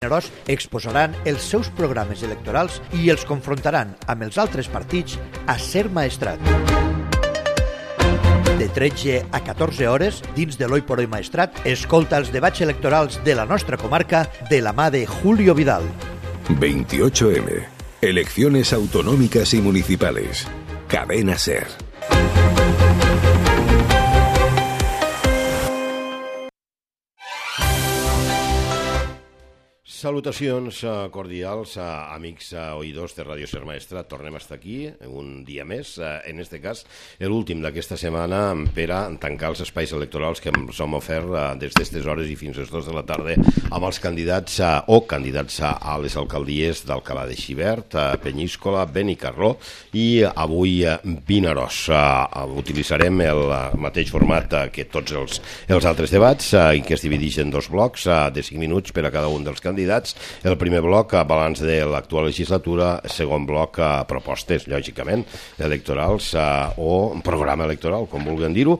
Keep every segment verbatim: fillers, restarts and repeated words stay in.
Vinaròs exposaran els seus programes electorals i els confrontaran amb els altres partits a Ser Maestrat. De tretze a catorze hores, dins de l'Hoy por Hoy Maestrat, escolta els debats electorals de la nostra comarca de la mà de Julio Vidal. veintiocho eme. Elecciones autonómicas y municipales. Cadena Ser. Salutacions cordials a amics oïdors de Ràdio Ser Maestrat. Tornem a estar aquí un dia més, en este cas l'últim d'aquesta setmana, per a tancar els espais electorals que ens hem ofert des d'aquestes hores i fins a les dues de la tarda amb els candidats o candidats a les alcaldies d'Alcalà de Xivert, Penyíscola, Benicarló i avui Vinaròs. Utilitzarem el mateix format que tots els, els altres debats, i que es divideix en dos blocs de cinc minuts per a cada un dels candidats. El primer bloc, balanç de l'actual legislatura, segon bloc, propostes, lògicament, electorals o programa electoral, com vulguem dir-ho,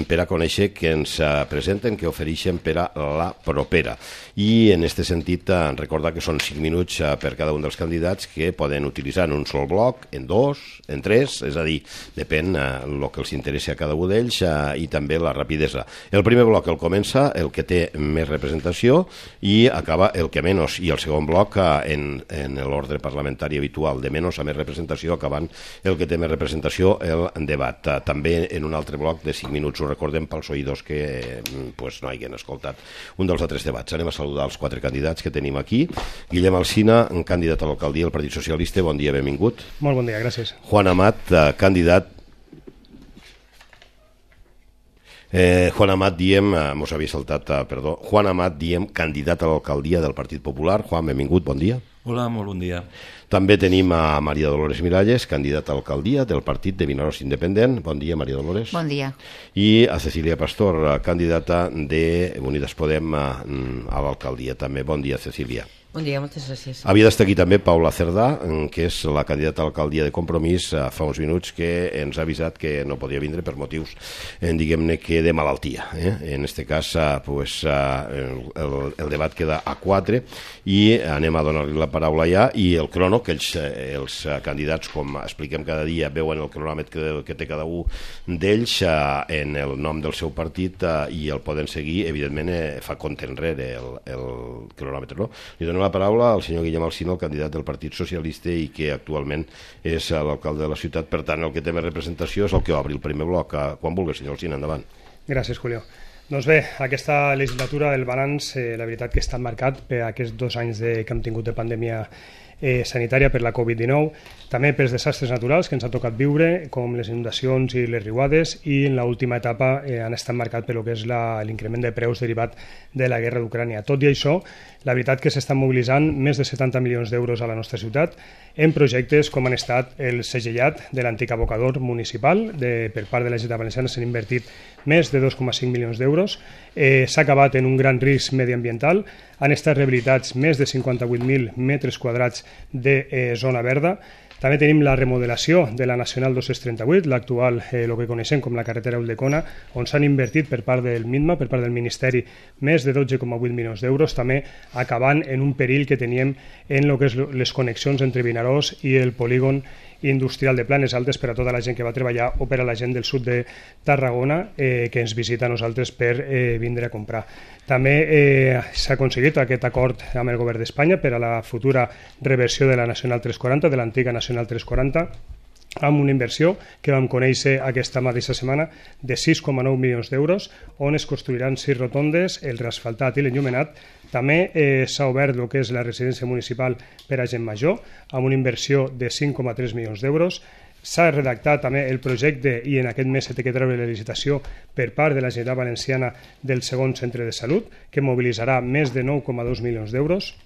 per a conèixer què ens presenten, què ofereixen per a la propera. I en aquest sentit, recordar que són cinc minuts per cada un dels candidats que poden utilitzar en un sol bloc, en dos, en tres, és a dir, depèn el que els interessa a cada un d'ells i també la rapidesa. El primer bloc el comença el que té més representació i acaba el que menys, i el segon bloc en, en l'ordre parlamentari habitual, de menys a més representació, acabant el que té més representació, el debat. També en un altre bloc de cinc minuts, ho recordem pels oïdors que pues, no hagin escoltat un dels altres debats. Anem a saludar els quatre candidats que tenim aquí. Guillem Alsina, candidat a l'alcaldia del Partit Socialista, bon dia, benvingut. Molt bon dia, gràcies. Juan Amat, candidat Eh, Juan Amat, diem, eh, mos havia saltat, eh, perdó, Juan Amat, diem, candidat a l'alcaldia del Partit Popular. Juan, benvingut, bon dia. Hola, molt bon dia. També tenim a Maria Dolores Miralles, candidata a l'alcaldia del Partit de Vinaròs Independent. Bon dia, Maria Dolores. Bon dia. I a Cecília Pastor, candidata de Unides Podem a, a l'alcaldia també. Bon dia, Cecília. Bon dia, moltes gràcies. Havia d'estar aquí també Paula Cerdà, que és la candidata a l'alcaldia de Compromís, fa uns minuts que ens ha avisat que no podia vindre per motius, diguem-ne, que de malaltia. Eh? En aquest cas, pues, el, el debat queda a quatre i anem a donar-li la paraula ja, i el crono, que els, els candidats, com expliquem cada dia, veuen el cronòmetre que, que té cada un d'ells en el nom del seu partit i el poden seguir, evidentment, fa compte enrere el, el cronòmetre, no? Li donem la paraula al senyor Guillem Alsina, el candidat del Partit Socialista i que actualment és l'alcalde de la ciutat. Per tant, el que té més representació és el que obri el primer bloc. Quan vulgui, senyor Alsina, endavant. Gràcies, Julio. Doncs bé, aquesta legislatura, el balanç, eh, la veritat que està marcat per aquests dos anys de, que hem tingut de pandèmia eh, sanitària per la covid dinou, també pels desastres naturals que ens ha tocat viure, com les inundacions i les riuades, i en l'última etapa eh, han estat marcat per lo que és l'increment de preus derivat de la guerra d'Ucrània. Tot i això, la veritat que s'estan mobilitzant més de setanta milions d'euros a la nostra ciutat en projectes com han estat el segellat de l'antic abocador municipal. De, per part de la Generalitat Valenciana s'han invertit més de dos coma cinc milions d'euros. Eh, s'ha acabat en un gran risc mediambiental. Han estat rehabilitats més de cinquanta-vuit mil metres quadrats de eh, zona verda. També tenim la remodelació de la Nacional dos-cents trenta-vuit, l'actual, eh, el que coneixem com la carretera Ulldecona, on s'han invertit per part del MINMA, per part del Ministeri, més de dotze coma vuit milions d'euros, també acabant en un perill que teníem en el que és les connexions entre Vinaròs i el polígon industrial de Planes Altes per a tota la gent que va treballar o per a la gent del sud de Tarragona eh, que ens visita a nosaltres per eh, vindre a comprar. També eh, s'ha aconseguit aquest acord amb el govern d'Espanya per a la futura reversió de la Nacional tres quaranta, de l'antiga Nacional tres quaranta, amb una inversió que vam conèixer aquesta mateixa setmana de sis coma nou milions d'euros, on es construiran sis rotondes, el reasfaltat i l'enllumenat. També eh, s'ha obert el que és la residència municipal per a gent major, amb una inversió de cinc coma tres milions d'euros. S'ha redactat també el projecte i en aquest mes s'ha de treure la licitació per part de la Generalitat Valenciana del segon centre de salut, que mobilitzarà més de nou coma dos milions d'euros.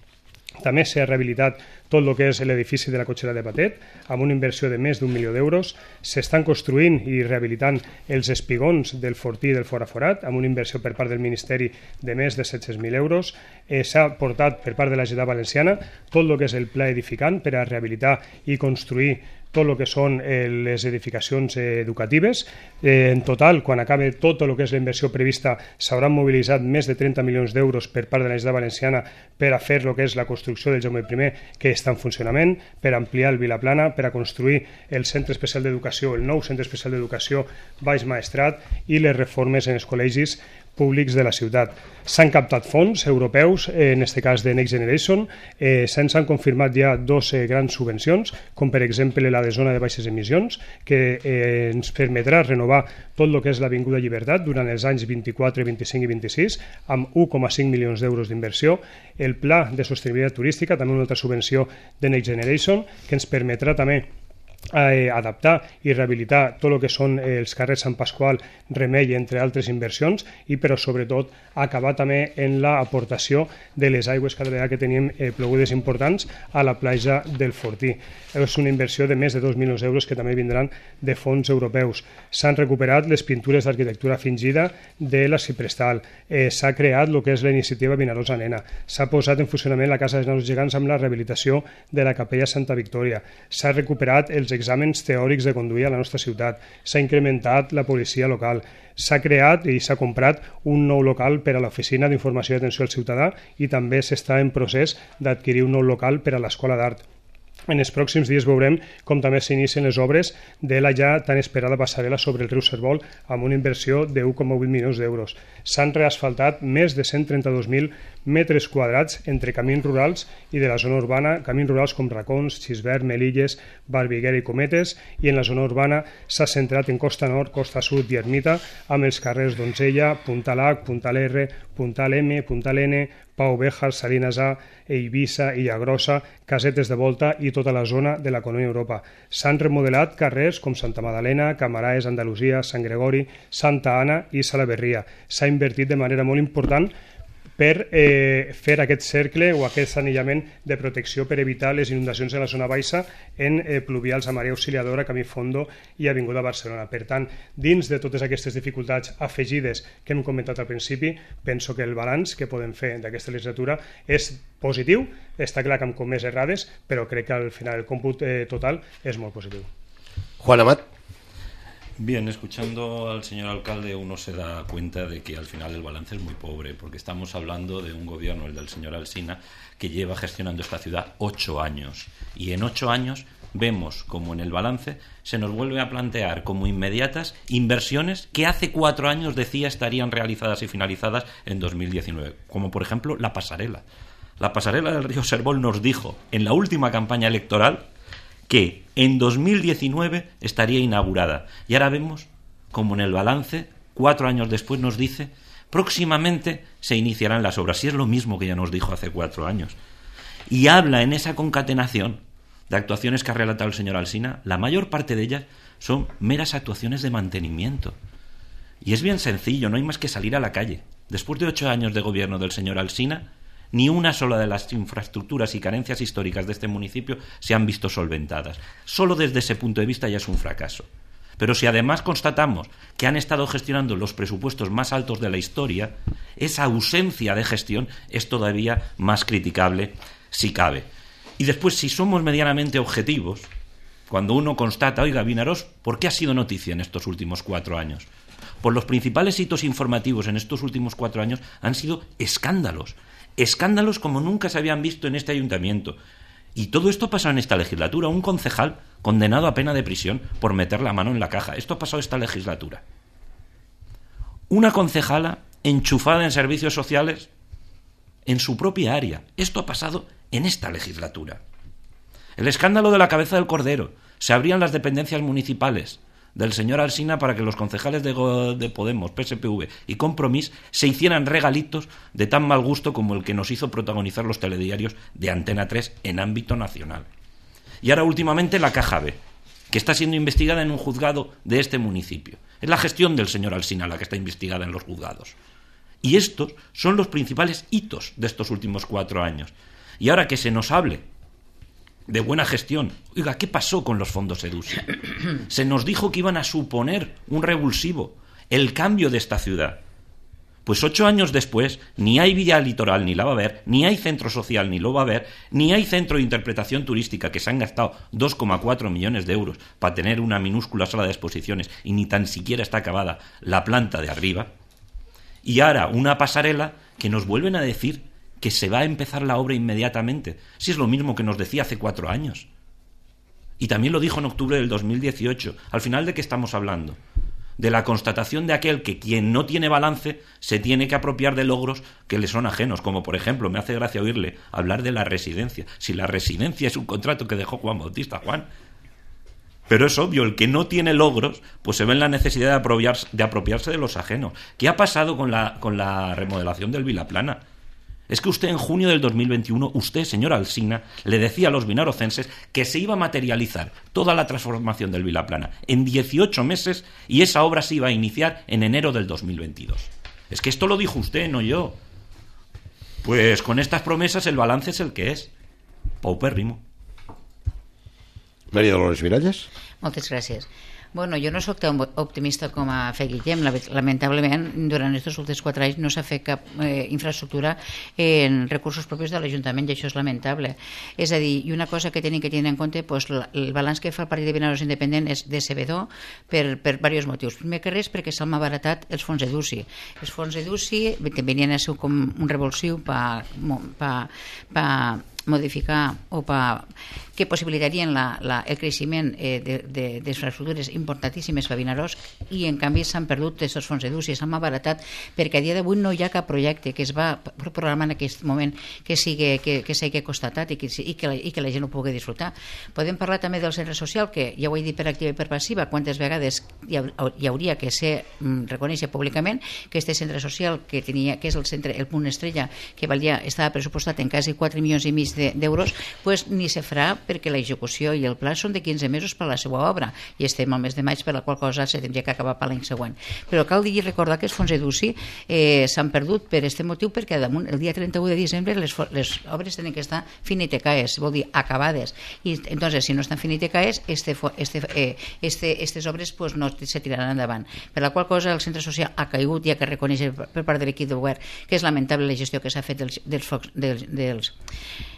També s'ha rehabilitat tot el que és l'edifici de la cotxera de Patet, amb una inversió de més d'un milió d'euros. S'estan construint i rehabilitant els espigons del Fortí i del Foraforat, amb una inversió per part del Ministeri de més de set-cents mil euros. Eh, s'ha portat per part de la Generalitat Valenciana tot el que és el pla edificant per a rehabilitar i construir tot el que són eh, les edificacions eh, educatives. Eh, en total, quan acabe tot el que és la inversió prevista, s'hauran mobilitzat més de trenta milions d'euros per part de la Generalitat Valenciana per a fer el que és la construcció del Jaume primer, que està en funcionament, per ampliar el Vilaplana, per a construir el centre especial d'educació, el nou centre especial d'educació Baix Maestrat i les reformes en els col·legis públics de la ciutat. S'han captat fons europeus, en aquest cas de Next Generation, eh, se'ns han confirmat ja dos eh, grans subvencions, com per exemple la de zona de baixes emissions, que eh, ens permetrà renovar tot el que és l'Avinguda Llibertat durant els anys vint-i-quatre, vint-i-cinc i vint-i-sis, amb un coma cinc milions d'euros d'inversió. El Pla de Sostenibilitat Turística, també una altra subvenció de Next Generation, que ens permetrà també Eh, adaptar i rehabilitar tot el que són eh, els carrers Sant Pasqual, Remei, entre altres inversions, i però sobretot acabar també en l'aportació de les aigües cada vegada que tenim eh, plogudes importants a la platja del Fortí. És una inversió de més de dos milions d'euros que també vindran de fons europeus. S'han recuperat les pintures d'arquitectura fingida de la Ciprestal, eh, s'ha creat el que és la iniciativa Vinarosa Nena, s'ha posat en funcionament la Casa dels Naus Gegants amb la rehabilitació de la Capella Santa Victòria, s'ha recuperat els exàmens teòrics de conduir a la nostra ciutat, s'ha incrementat la policia local, s'ha creat i s'ha comprat un nou local per a l'Oficina d'Informació i Atenció al Ciutadà i també s'està en procés d'adquirir un nou local per a l'Escola d'Art. En els pròxims dies veurem com també s'inicien les obres de la ja tan esperada passarel·la sobre el riu Servol amb una inversió de un coma vuit milions d'euros. S'han reasfaltat més de cent trenta-dos mil metres quadrats entre camins rurals i de la zona urbana, camins rurals com Racons, Xisbert, Melilles, Barbiguera i Cometes, i en la zona urbana s'ha centrat en Costa Nord, Costa Sud i Ermita, amb els carrers Donzella, Puntal H, Puntal R, Puntal M, Puntal N, Pau Béjar, Salinas A, Eivissa, Illagrossa, Casetes de Volta i tota la zona de la Colònia Europa. S'han remodelat carrers com Santa Magdalena, Camaraes, Andalusia, Sant Gregori, Santa Anna i Salaverria. S'ha invertit de manera molt important per eh, fer aquest cercle o aquest anillament de protecció per evitar les inundacions de la zona baixa en eh, pluvials a Marea Auxiliadora, Camí Fondo i Avinguda Barcelona. Per tant, dins de totes aquestes dificultats afegides que hem comentat al principi, penso que el balanç que podem fer d'aquesta legislatura és positiu. Està clar que amb com més errades, però crec que al final el còmput eh, total és molt positiu. Juan Amat. Bien, escuchando al señor alcalde uno se da cuenta de que al final el balance es muy pobre, porque estamos hablando de un gobierno, el del señor Alsina, que lleva gestionando esta ciudad ocho años. Y en ocho años vemos como en el balance se nos vuelve a plantear como inmediatas inversiones que hace cuatro años decía estarían realizadas y finalizadas en dos mil diecinueve, como por ejemplo la pasarela. La pasarela del río Servol nos dijo en la última campaña electoral que en dos mil diecinueve estaría inaugurada. Y ahora vemos como en el balance, cuatro años después nos dice, próximamente se iniciarán las obras. Y es lo mismo que ya nos dijo hace cuatro años. Y habla en esa concatenación de actuaciones que ha relatado el señor Alsina, la mayor parte de ellas son meras actuaciones de mantenimiento. Y es bien sencillo, no hay más que salir a la calle. Después de ocho años de gobierno del señor Alsina, ni una sola de las infraestructuras y carencias históricas de este municipio se han visto solventadas. Solo desde ese punto de vista ya es un fracaso. Pero si además constatamos que han estado gestionando los presupuestos más altos de la historia, esa ausencia de gestión es todavía más criticable, si cabe. Y después, si somos medianamente objetivos, cuando uno constata, oiga, Vinaroz, ¿por qué ha sido noticia en estos últimos cuatro años? Pues los principales hitos informativos en estos últimos cuatro años han sido escándalos. Escándalos como nunca se habían visto en este ayuntamiento. Y todo esto ha pasado en esta legislatura. Un concejal condenado a pena de prisión por meter la mano en la caja. Esto ha pasado esta legislatura. Una concejala enchufada en servicios sociales en su propia área. Esto ha pasado en esta legislatura. El escándalo de la cabeza del cordero. Se abrían las dependencias municipales del señor Alsina para que los concejales de, de Podemos, P S P V y Compromís se hicieran regalitos de tan mal gusto como el que nos hizo protagonizar los telediarios de Antena tres en ámbito nacional. Y ahora últimamente la Caja B, que está siendo investigada en un juzgado de este municipio. Es la gestión del señor Alsina la que está investigada en los juzgados. Y estos son los principales hitos de estos últimos cuatro años. Y ahora que se nos hable de buena gestión, oiga, ¿qué pasó con los fondos EDUSI? Se nos dijo que iban a suponer un revulsivo, el cambio de esta ciudad. Pues ocho años después, ni hay vía litoral ni la va a haber, ni hay centro social ni lo va a haber, ni hay centro de interpretación turística, que se han gastado dos coma cuatro millones de euros para tener una minúscula sala de exposiciones y ni tan siquiera está acabada la planta de arriba. Y ahora una pasarela que nos vuelven a decir que se va a empezar la obra inmediatamente, si es lo mismo que nos decía hace cuatro años. Y también lo dijo en octubre del dos mil dieciocho. Al final, ¿de qué estamos hablando? De la constatación de aquel que quien no tiene balance se tiene que apropiar de logros que le son ajenos, como por ejemplo, me hace gracia oírle hablar de la residencia. Si la residencia es un contrato que dejó Juan Bautista, Juan. Pero es obvio, el que no tiene logros, pues se ve en la necesidad de apropiarse de, apropiarse de los ajenos. ¿Qué ha pasado con la, con la remodelación del Vilaplana? Es que usted en junio del dos mil veintiuno, usted, señor Alsina, le decía a los vinarocenses que se iba a materializar toda la transformación del Vilaplana en dieciocho meses y esa obra se iba a iniciar en enero del dos mil veintidós. Es que esto lo dijo usted, no yo. Pues con estas promesas el balance es el que és. Paupérrimo. Maria Dolores Miralles. Moltes gràcies. Bueno, jo no sóc tan optimista com a fe Guillem. Lamentablement, durant aquests últims quatre anys no s'ha fet cap eh, infraestructura en recursos propis de l'Ajuntament i això és lamentable. És a dir, i una cosa que tenim que tenir en compte, pues, el balanç que fa el Partit de Vinaros Independent és decebedor per, per diversos motius. Primer que res perquè s'han malbaratat els fons EDUSI. Els fons EDUSI venien a ser com un revulsiu per pa, pa modificar o pa, que possibilitarien la, la, el creixement eh, d'infraestructures importantíssimes per Vinaròs i en canvi s'han perdut aquests fons EDUSI, s'han malbaratat perquè a dia d'avui no hi ha cap projecte que es va programar en aquest moment que sigui, que, que sigui constatat i que, i, que la, i que la gent ho pugui disfrutar. Podem parlar també del centre social, que ja ho he dit per activa i per passiva, quantes vegades hi, ha, hi hauria que ser reconèixer públicament que este centre social que tenia, que és el centre, el punt estrella, que valia, estava pressupostat en quasi quatre milions i mig d'euros, pues ni se farà perquè l'execució i el pla són de quinze mesos per a la seva obra i estem al mes de maig, per la qual cosa se tindria que acabar per l'any següent. Però cal dir i recordar que els fons EDUSI eh, s'han perdut per aquest motiu perquè damunt el dia trenta-u de desembre les, les obres tenen que estar finitecaes, vol dir acabades, i entonces si no estan finitecaes este, este, eh, este, estes obres pues, no se tiraran endavant, per la qual cosa el centre social ha caigut i ha que reconèixer per part de l'equip de govern que és lamentable la gestió que s'ha fet dels, dels, dels, dels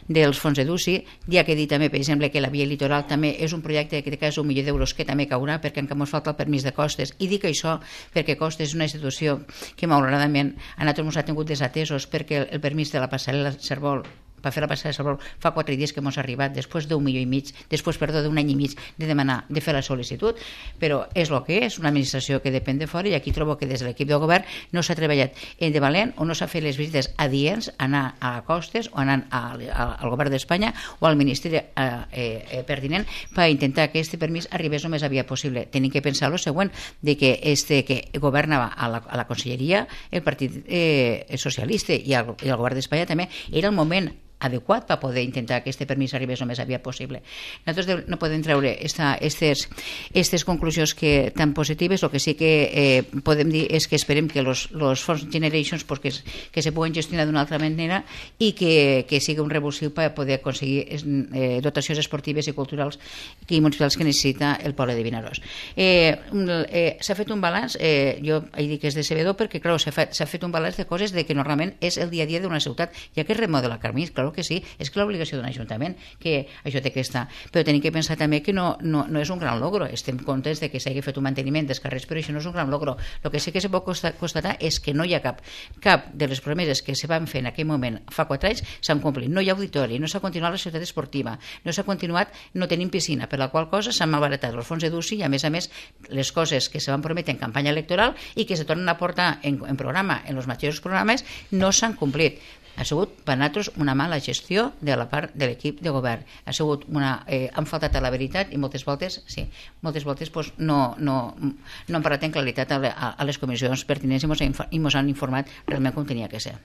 dels fons EDUSI. Ja que he dit també, per exemple, que la via litoral també és un projecte que té quasi un milió d'euros que també caurà perquè encara ens falta el permís de costes, i dic això perquè Costes és una institució que malauradament a nosaltres ens ha tingut desatesos perquè el permís de la passarel·la Cérvol per fer la passada de Salvador fa quatre dies que ens ha arribat després d'un milió i mig, després, perdó, d'un any i mig de demanar, de fer la sol·licitud, però és el que és, una administració que depèn de fora, i aquí trobo que des de l'equip de govern no s'ha treballat en de valent o no s'ha fet les visites adients, anar a Costes o anar a, a, al govern d'Espanya o al ministeri eh, eh, pertinent per intentar que aquest permís arribés el més aviat possible. Tenim que pensar el següent, de que este que governava a la, a la conselleria el Partit eh, Socialista i el, i el govern d'Espanya també, era el moment adequat per poder intentar que aquest permís arribés el més aviat possible. Nosaltres no podem treure aquestes conclusions que, tan positives. El que sí que eh, podem dir és que esperem que els fons Generations pues, que, que se puguen gestionar d'una altra manera i que, que sigui un revulsiu per poder aconseguir eh, dotacions esportives i culturals i municipals que necessita el poble de Vinaròs. Eh, eh, s'ha fet un balanç, eh, jo he dit que és decebedor perquè clar, s'ha fet, fet un balanç de coses de que normalment és el dia a dia d'una ciutat, ja que es remodela Carmís, clar que sí, és que l'obligació d'un ajuntament que això té que estar, però tenim que pensar també que no, no, no és un gran logro, estem contents de que s'hagi fet un manteniment dels carrers, però això no és un gran logro. El que sí que se pot constatar és que no hi ha cap cap de les promeses que se van fer en aquell moment fa quatre anys s'han complit, no hi ha auditori, no s'ha continuat la ciutat esportiva, no s'ha continuat, no tenim piscina, per la qual cosa s'han malbaratat els fons EDUSI i a més a més les coses que se van prometre en campanya electoral i que se tornen a portar en, en programa, en els mateixos programes, no s'han complit. Ha sigut per nosaltres una mala gestió de la part de l'equip de govern. Ha sigut una, eh, han faltat a la veritat i moltes voltes, sí, moltes voltes pues, no, no, no han parlat en claritat a, a, a les comissions pertinents i ens han informat realment com tenia que ser.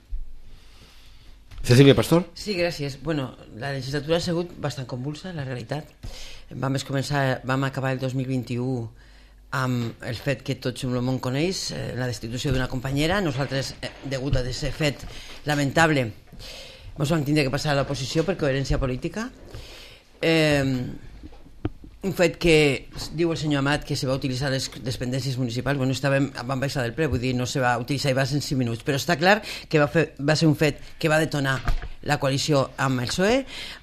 Cecilia Pastor. Sí, gràcies. Bueno, la legislatura ha sigut bastant convulsa, la realitat. Vam, començar, vam acabar el dos mil vint-i-u amb el fet que tot el món coneix, eh, la destitució d'una companyera. Nosaltres, eh, degut a aquest fet lamentable, ens vam tindre que passar a l'oposició per coherència política. Eh, un fet que diu el senyor Amat que se va utilitzar les dependències municipals, bueno, estàvem, van baixar del ple, vull dir, no se va utilitzar i va ser en cinc minuts, però està clar que va, fer, va ser un fet que va detonar la coalició amb el P S O E,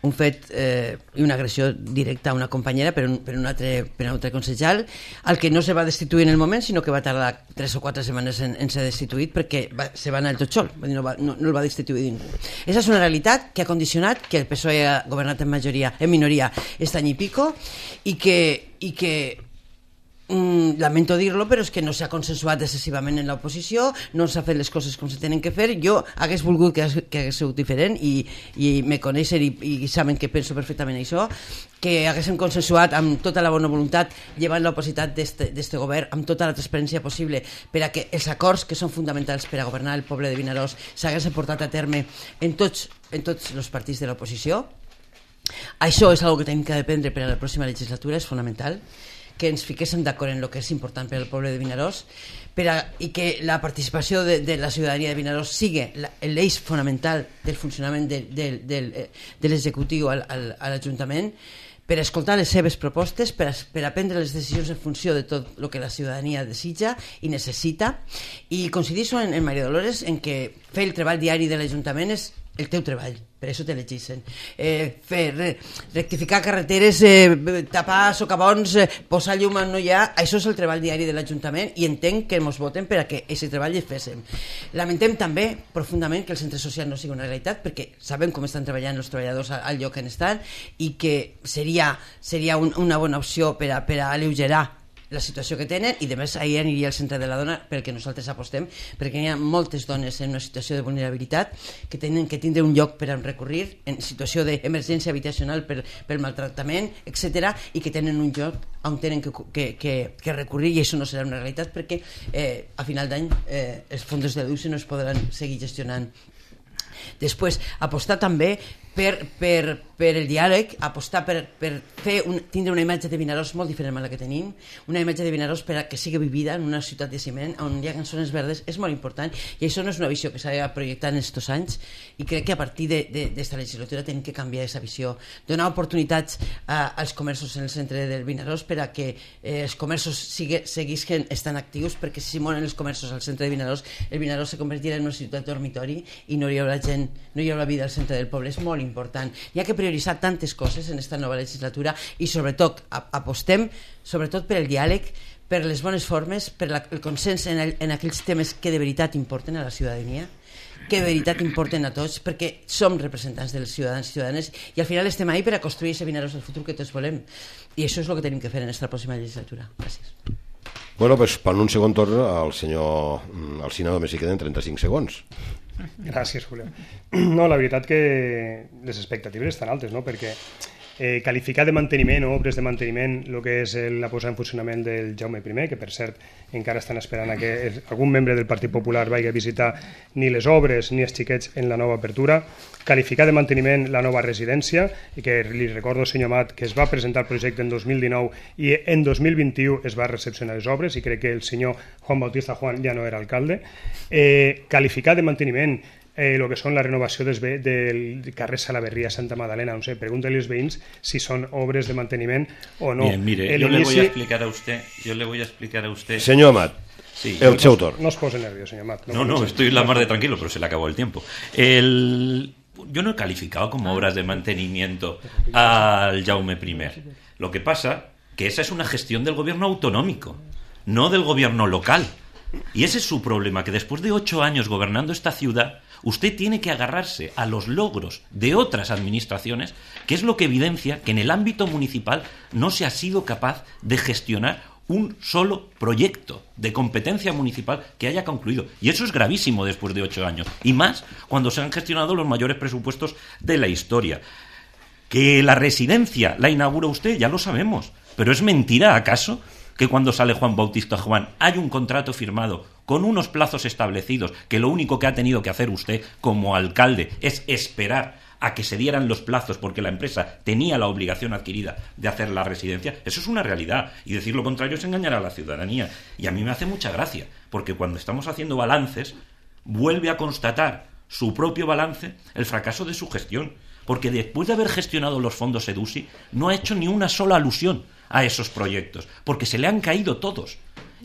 un fet eh, i una agressió directa a una companyera per un, per un, altre, per un altre consellal, al que no se va destituir en el moment, sinó que va tardar tres o quatre setmanes en, en ser destituït perquè va, se va anar al tot sol, no, va, no, no el va destituir ningú. Esa és una realitat que ha condicionat que el P S O E ha governat en majoria, en minoria este any i pico, i que, i que mm, lamento dir-lo, però és que no s'ha consensuat excessivament en l'oposició, no s'ha fet les coses com se tenen que fer. Jo hagués volgut que, que hagués sigut diferent i, i me coneixen i, i saben que penso perfectament això, que haguéssim consensuat amb tota la bona voluntat, llevant l'opositat d'este govern amb tota la transparència possible per a que els acords que són fonamentals per a governar el poble de Vinaròs s'haguessin portat a terme en tots, en tots els partits de l'oposició. Això és una cosa que tenim que aprendre per a la pròxima legislatura, és fonamental que ens fiquéssim d'acord en el que és important per al poble de Vinaròs per a, i que la participació de, de la ciutadania de Vinaròs sigui l'eix fonamental del funcionament de, de, de, de l'executiu al, al, a l'Ajuntament, per a escoltar les seves propostes, per a, per a prendre les decisions en funció de tot el que la ciutadania desitja i necessita, i coincideixo en, en Maria Dolores en que fer el treball diari de l'Ajuntament és el teu treball, per això t'elegeixen. Eh, fer, re, rectificar carreteres, eh, tapar socavons, eh, posar llum on no hi ha, això és el treball diari de l'Ajuntament i entenc que ens voten per a que aquest treball el féssim. Lamentem també profundament que el centre social no sigui una realitat, perquè sabem com estan treballant els treballadors al lloc on estan i que seria, seria un, una bona opció per a, per a alleugerar la situació que tenen, i a més ahir aniria al centre de la dona perquè nosaltres apostem, perquè hi ha moltes dones en una situació de vulnerabilitat que tenen que tindre un lloc per a recurrir en situació d'emergència habitacional per, per maltractament, etcètera, i que tenen un lloc on tenen que, que, que, que recurrir, i això no serà una realitat perquè eh, a final d'any eh, els fons de l'U C no es podran seguir gestionant. Després, apostar també per, per, per el diàleg, apostar per, per fer un, tindre una imatge de Vinaròs molt diferent a la que tenim, una imatge de Vinaròs per a que sigui vivida en una ciutat de ciment on hi ha zones verdes, és molt important, i això no és una visió que s'ha projectat en aquests anys, i crec que a partir d'esta legislatura tenim que canviar aquesta visió, donar oportunitats a, als comerços en el centre del Vinaròs per a que eh, els comerços sigue, seguisquen estan actius, perquè si moren els comerços al centre de Vinaròs, el Vinaròs se convertirà en una ciutat dormitori i no hi haurà gent, no hi haurà vida al centre del poble. És molt important. Hi ha que prioritzar tantes coses en esta nova legislatura i sobretot apostem sobretot per el diàleg, per les bones formes, per la, el consens en, el, en aquells temes que de veritat importen a la ciutadania, que de veritat importen a tots, perquè som representants dels ciutadans i ciutadanes i al final estem ahí per a construir aquest Vinaròs del futur que tots volem, i això és el que tenim que fer en aquesta pròxima legislatura. Gràcies. Bueno, pues per un segon torn al senyor Alsina només hi queden trenta-cinc segons. Gràcies, Julio. No, la veritat que les expectatives estan altes, no? Perquè eh, qualificar de manteniment o obres de manteniment el que és la posada en funcionament del Jaume I, que per cert encara estan esperant a que algun membre del Partit Popular vagi a visitar ni les obres ni els xiquets en la nova apertura, qualificar de manteniment la nova residència, i que li recordo, senyor Amat, que es va presentar el projecte en dos mil dinou i en dos mil vint-i-u es va recepcionar les obres, i crec que el senyor Juan Bautista Juan ja no era alcalde. Eh, qualificar de manteniment Eh, lo que són la renovació des, del carrer Salaverría Santa Magdalena, no sé, pregúntale als veïns si son obres de manteniment o no. Bien, mire, el yo inici... le voy a explicar a usted, yo le voy a explicar a usted. Señor Amat, sí, el seu torn. No os pose nervios, señor Amat. No, no, no estoy la mar de tranquilo, pero se le acabó el tiempo. El... Yo no he calificado como obras de mantenimiento al Jaume I. Lo que pasa que esa es una gestión del gobierno autonómico, no del gobierno local. Y ese es su problema, que después de ocho años gobernando esta ciudad, usted tiene que agarrarse a los logros de otras administraciones, que es lo que evidencia que en el ámbito municipal no se ha sido capaz de gestionar un solo proyecto de competencia municipal que haya concluido. Y eso es gravísimo después de ocho años. Y más cuando se han gestionado los mayores presupuestos de la historia. Que la residencia la inaugura usted, ya lo sabemos. Pero ¿es mentira, acaso, que cuando sale Juan Bautista Juan hay un contrato firmado con unos plazos establecidos, que lo único que ha tenido que hacer usted como alcalde es esperar a que se dieran los plazos porque la empresa tenía la obligación adquirida de hacer la residencia? Eso es una realidad, y decir lo contrario es engañar a la ciudadanía. Y a mí me hace mucha gracia, porque cuando estamos haciendo balances vuelve a constatar su propio balance el fracaso de su gestión, porque después de haber gestionado los fondos EDUSI no ha hecho ni una sola alusión a esos proyectos, porque se le han caído todos.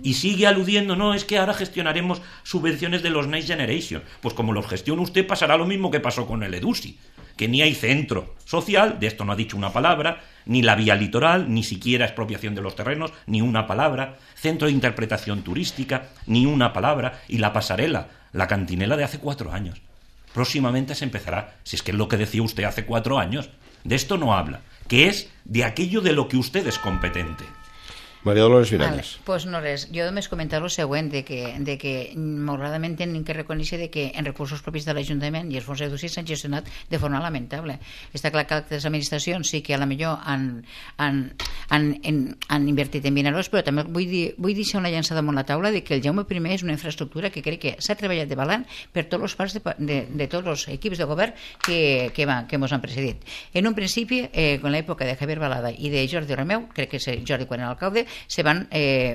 Y sigue aludiendo, no, es que ahora gestionaremos subvenciones de los Next Generation. Pues como los gestiona usted, pasará lo mismo que pasó con el EDUSI, que ni hay centro social, de esto no ha dicho una palabra, ni la vía litoral, ni siquiera expropiación de los terrenos, ni una palabra, centro de interpretación turística, ni una palabra, y la pasarela, la cantinela de hace cuatro años. Próximamente se empezará, si es que es lo que decía usted hace cuatro años, de esto no habla, que es de aquello de lo que usted es competente. Maria Dolores Miralles. Vale, pues no res. Jo només comentar el següent, de que, de que malauradament hem que reconèixer de que en recursos propis de l'Ajuntament i els fons EDUSI s'han gestionat de forma lamentable. Està clar que les administracions sí que a la millor han, han, han, han, han invertit en Vinaròs, però també vull, dir, vull deixar una llançada damunt la taula de que el Jaume I és una infraestructura que crec que s'ha treballat de balant per tots els parts de, de, de tots els equips de govern que, que, va, que ens han precedit. En un principi, eh, en l'època de Javier Balada i de Jordi Romeu, crec que és Jordi quan era alcalde, se van, eh,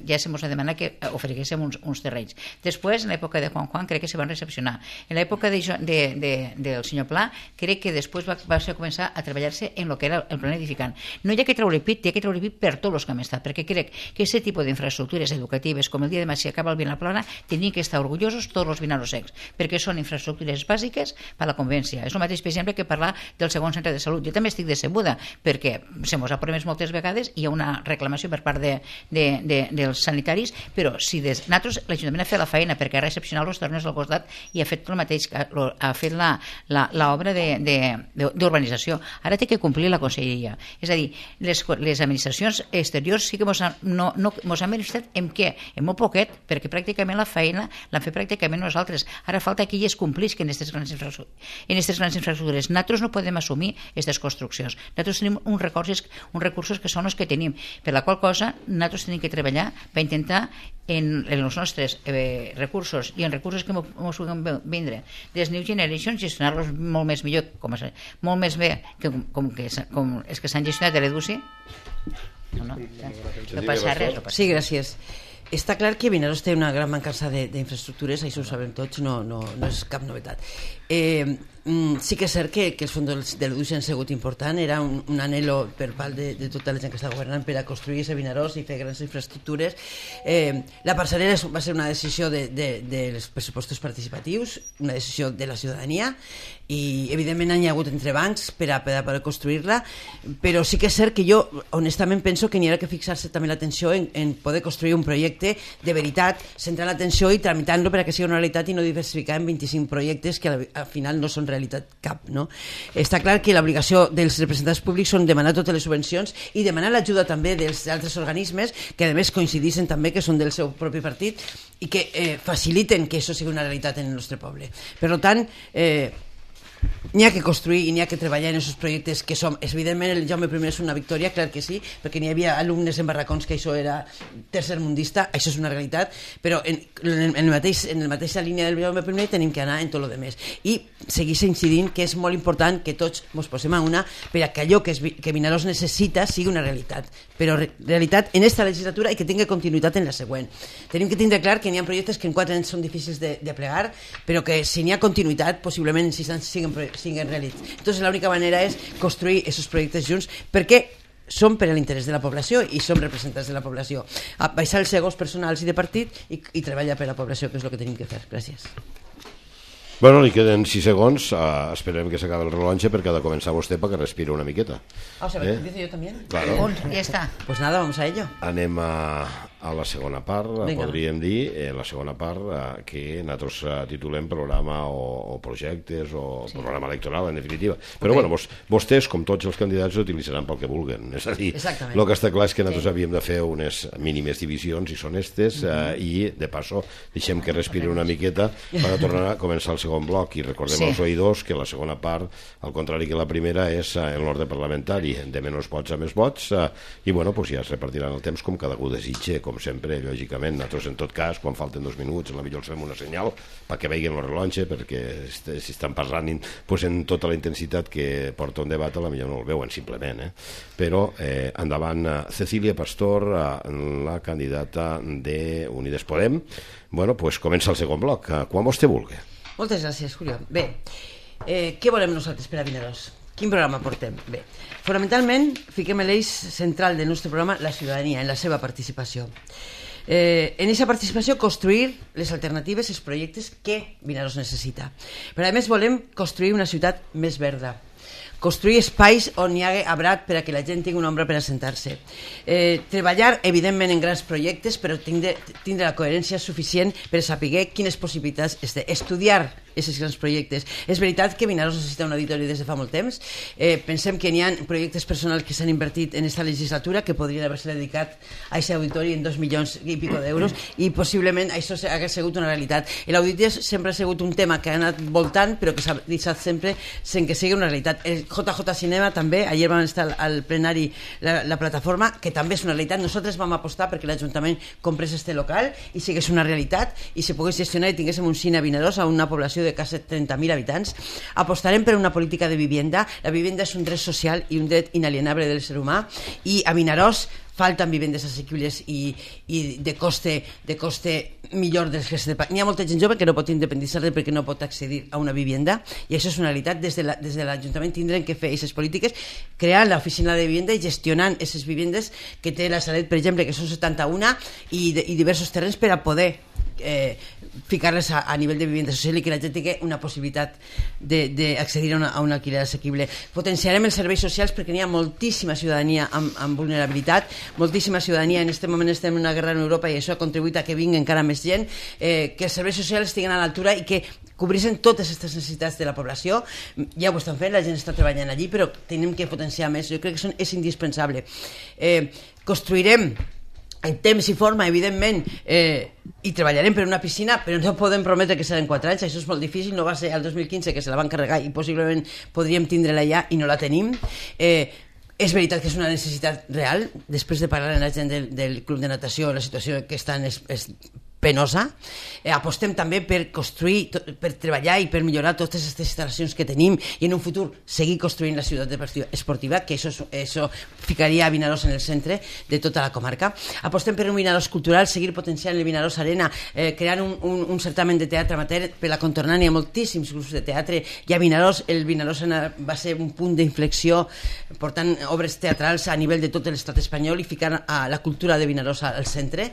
ja se ens va demanar que oferiguéssim uns, uns terrenys. Després, en l'època de Juan Juan, crec que se van recepcionar. En l'època de, de, de, del senyor Pla, crec que després va, va ser començar a treballar-se en el que era el plan edificant. No hi ha que treure pit, hi ha que treure pit per tots els que hem estat, perquè crec que aquest tipus d'infraestructures educatives, com el dia de demà si acaba el Vinaplana, tenien que estar orgullosos tots els vinarossecs, perquè són infraestructures bàsiques per a la convivència. És el mateix, per exemple, que parlar del segon centre de salut. Jo també estic decebuda, perquè se mos ha promès moltes vegades i hi ha una reclamació per part de De, de, de, dels sanitaris, però si des, nosaltres, l'Ajuntament ha fet la feina perquè ha recepcionat els terrenys al costat i ha fet el mateix, ha fet l'obra d'urbanització. Ara té que complir la conselleria. És a dir, les, les administracions exteriors sí que mos han, no, no, mos han beneficiat en què? En molt poquet, perquè pràcticament la feina l'han fet pràcticament nosaltres. Ara falta que elles complisquen en aquestes grans infraestructures. En aquestes grans infraestructures. Nosaltres no podem assumir aquestes construccions. Nosaltres tenim uns recursos, uns recursos que són els que tenim, per la qual cosa nosaltres tenim que treballar per intentar en, en els nostres eh, recursos i en recursos que ens puguem vindre des New Generation, gestionar-los molt més millor, com és, molt més bé que, com, que, com els que s'han gestionat de l'EDUSI. No, no, no passa res. No passa. Sí, gràcies. Està clar que Vinaròs té una gran mancança d'infraestructures, això ho sabem tots, no, no, no és cap novetat. Eh, sí que és cert que, que els fons de l'EDUSI han sigut important, era un, un anhelo per part de, de tota la gent que està governant per a construir aquest Vinaròs i fer grans infraestructures. Eh, la parcel·lera va ser una decisió de, de, dels pressupostos participatius, una decisió de la ciutadania, i evidentment hi ha hagut entrebancs per a, per a poder construir-la, però sí que és cert que jo honestament penso que n'hi ha que fixar-se també l'atenció en, en poder construir un projecte de veritat, centrar l'atenció i tramitar-lo perquè sigui una realitat i no diversificar en vint-i-cinc projectes que al, al final no són realitat cap, no? Està clar que l'obligació dels representants públics són demanar totes les subvencions i demanar l'ajuda també dels altres organismes que a més coincidissin també que són del seu propi partit i que eh, faciliten que això sigui una realitat en el nostre poble. Per tant, eh, n'hi ha que construir i n'hi ha que treballar en aquests projectes que som, evidentment el Jaume I és una victòria, clar que sí, perquè n'hi havia alumnes en barracons que això era tercermundista, això és una realitat, però en, en, el mateix, en la mateixa línia del Jaume I tenim que anar en tot el demés i seguir incidint que és molt important que tots ens posem a una per a que allò que, es, que Vinaròs necessita sigui una realitat, però re, realitat en esta legislatura i que tingui continuïtat en la següent. Tenim que tindre clar que n'hi ha projectes que en quatre anys són difícils de, de plegar, però que si n'hi ha continuïtat possiblement en sis anys siguin siguin realitzats. Entonces l'única manera és construir aquests projectes junts perquè són per a l'interès de la població i som representants de la població. Baixar els egos personals i de partit i, i treballar per a la població, que és el que tenim que fer. Gràcies. Bueno, li queden sis segons, uh, esperem que s'acabi el rellotge perquè ha de començar vostè perquè respira una miqueta. Ah, o sea, eh? ¿Empiezo yo también? Claro. Un, ja està. Pues nada, vamos a ello. Anem a, a la segona part, Venga. Podríem dir, eh, la segona part eh, que nosaltres eh, titulem programa o, o projectes o sí. Programa electoral, en definitiva. Però okay. bueno, vos, vostès, com tots els candidats, utilitzaran pel que vulguen. És a dir, el que està clar és que nosaltres sí. havíem de fer unes mínimes divisions i són estes, mm-hmm. eh, i de passo deixem que respiri una miqueta per a tornar a començar el segon bloc i recordem sí. als oïdors que la segona part, al contrari que la primera, és eh, en l'ordre parlamentari, de menys vots a més vots, eh, i bueno, pues ja es repartiran el temps com cada algú desitge, com sempre, lògicament. Nosaltres, en tot cas, quan falten dos minuts, a la millor els fem una senyal perquè veiguin el rellotge, perquè si estan parlant pues, en tota la intensitat que porta un debat, a la millor no el veuen, simplement. Eh? Però eh, endavant, Cecília Pastor, la candidata de Unides Podem. Bueno, pues comença el segon bloc, quan vostè vulgui. Moltes gràcies, Julio. Bé, Eh, què volem nosaltres per a Vinaròs? Quin programa portem? Bé, fonamentalment fiquem l'eix central del nostre programa la ciutadania, en la seva participació. Eh, en aquesta participació construir les alternatives, els projectes que Vinaròs necessita. Però a més volem construir una ciutat més verda, construir espais on hi hagi arbrat per a que la gent tingui una ombra per assentar-se. Eh, treballar, evidentment, en grans projectes, però tindre, tindre la coherència suficient per saber quines possibilitats es té. Estudiar aquests grans projectes. És veritat que Vinaròs necessita un auditori des de fa molt temps. Eh, pensem que n'hi ha projectes personals que s'han invertit en aquesta legislatura que podrien haver-se dedicat a aquest auditori en dos milions i pico d'euros i possiblement això hagués sigut una realitat. L'auditori sempre ha sigut un tema que ha anat voltant però que s'ha deixat sempre sense que sigui una realitat. El J J Cinema també, ahir vam estar al plenari la, la plataforma, que també és una realitat. Nosaltres vam apostar perquè l'Ajuntament comprés este local i sigués una realitat i se pogués gestionar i tinguéssim un cine a Vinaròs a una població de quasi trenta mil habitants. Apostarem per una política de vivienda. La vivienda és un dret social i un dret inalienable del ser humà i a Vinaròs falten vivendes assequibles i, i de coste de coste millor dels que se paguen. N'hi ha molta gent jove que no pot independitzar-se perquè no pot accedir a una vivenda i això és una realitat. Des de la, des de l'Ajuntament tindrem que fer aquestes polítiques, crear l'oficina de vivenda i gestionant aquestes vivendes que té la Salet, per exemple, que són setanta-una i, de, i diversos terrenys per a poder eh, ficar-les a, a nivell de vivenda social i que la gent tingui una possibilitat d'accedir a, a un alquiler assequible. Potenciarem els serveis socials perquè n'hi ha moltíssima ciutadania amb, amb vulnerabilitat, moltíssima ciutadania. En aquest moment estem en una guerra en Europa i això ha contribuït a que vingui encara més gent, eh, que els serveis socials estiguen a l'altura i que cobreixen totes aquestes necessitats de la població. Ja ho estan fent, la gent està treballant allí, però tenim que potenciar més. Jo crec que són, és indispensable. Eh, construirem en temps i forma, evidentment, eh, i treballarem per una piscina, però no podem prometre que serà en quatre anys, això és molt difícil. No va ser el dos mil quinze que se la van carregar i possiblement podríem tindre-la ja i no la tenim. Eh, és veritat que és una necessitat real. Després de parlar amb la gent del, del club de natació, la situació que estan és, és penosa. Eh, apostem també per construir, per treballar i per millorar totes aquestes instal·lacions que tenim i en un futur seguir construint la ciutat esportiva, que això, això ficaria a Vinaròs en el centre de tota la comarca. Apostem per un Vinaròs cultural, seguir potenciant el Vinaròs Arena, eh, creant un, un, un certamen de teatre amateur per la contornant. Hi ha moltíssims grups de teatre i a Vinaròs el Vinaròs va ser un punt d'inflexió portant obres teatrals a nivell de tot l'estat espanyol i ficant a la cultura de Vinaròs al centre.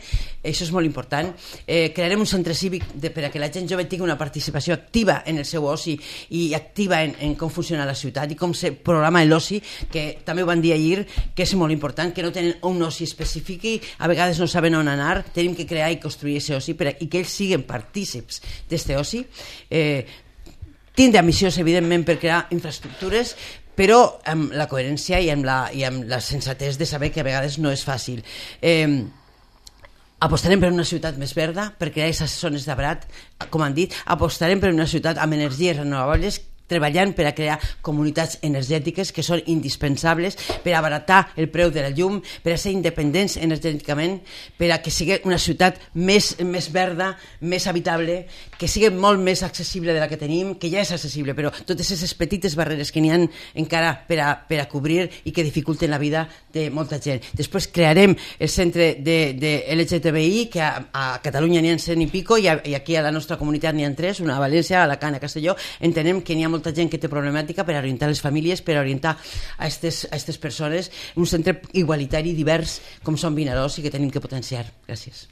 Això és molt important. Eh, crearem un centre cívic de, per a que la gent jove tingui una participació activa en el seu oci i activa en, en com funciona la ciutat i com se programa l'oci, que també ho van dir ahir, que és molt important, que no tenen un oci específic i a vegades no saben on anar. Tenim que crear i construir aquest oci per a, i que ells siguin partícips d'aquest oci. Eh, tindre ambicions, evidentment, per crear infraestructures, però amb la coherència i amb la, i amb la sensatez de saber que a vegades no és fàcil. Eh, Apostarem per una ciutat més verda, per crear aquestes zones d'arbrat, com han dit. Apostarem per una ciutat amb energies renovables, treballant per a crear comunitats energètiques que són indispensables per abaratar el preu de la llum, per a ser independents energèticament, per a que sigui una ciutat més, més verda, més habitable, que sigui molt més accessible de la que tenim, que ja és accessible, però totes aquestes petites barreres que n'hi ha encara per a, per a cobrir i que dificulten la vida de molta gent. Després crearem el centre de, de L G T B I, que a, a Catalunya n'hi ha cent i pico i, a, i aquí a la nostra comunitat n'hi ha tres, una a València, a Alacant, a Castelló. Entenem que n'hi ha molta gent que té problemàtica per orientar les famílies, per orientar a aquestes persones, un centre igualitari divers com són Vinaròs i que tenim que potenciar. Gràcies.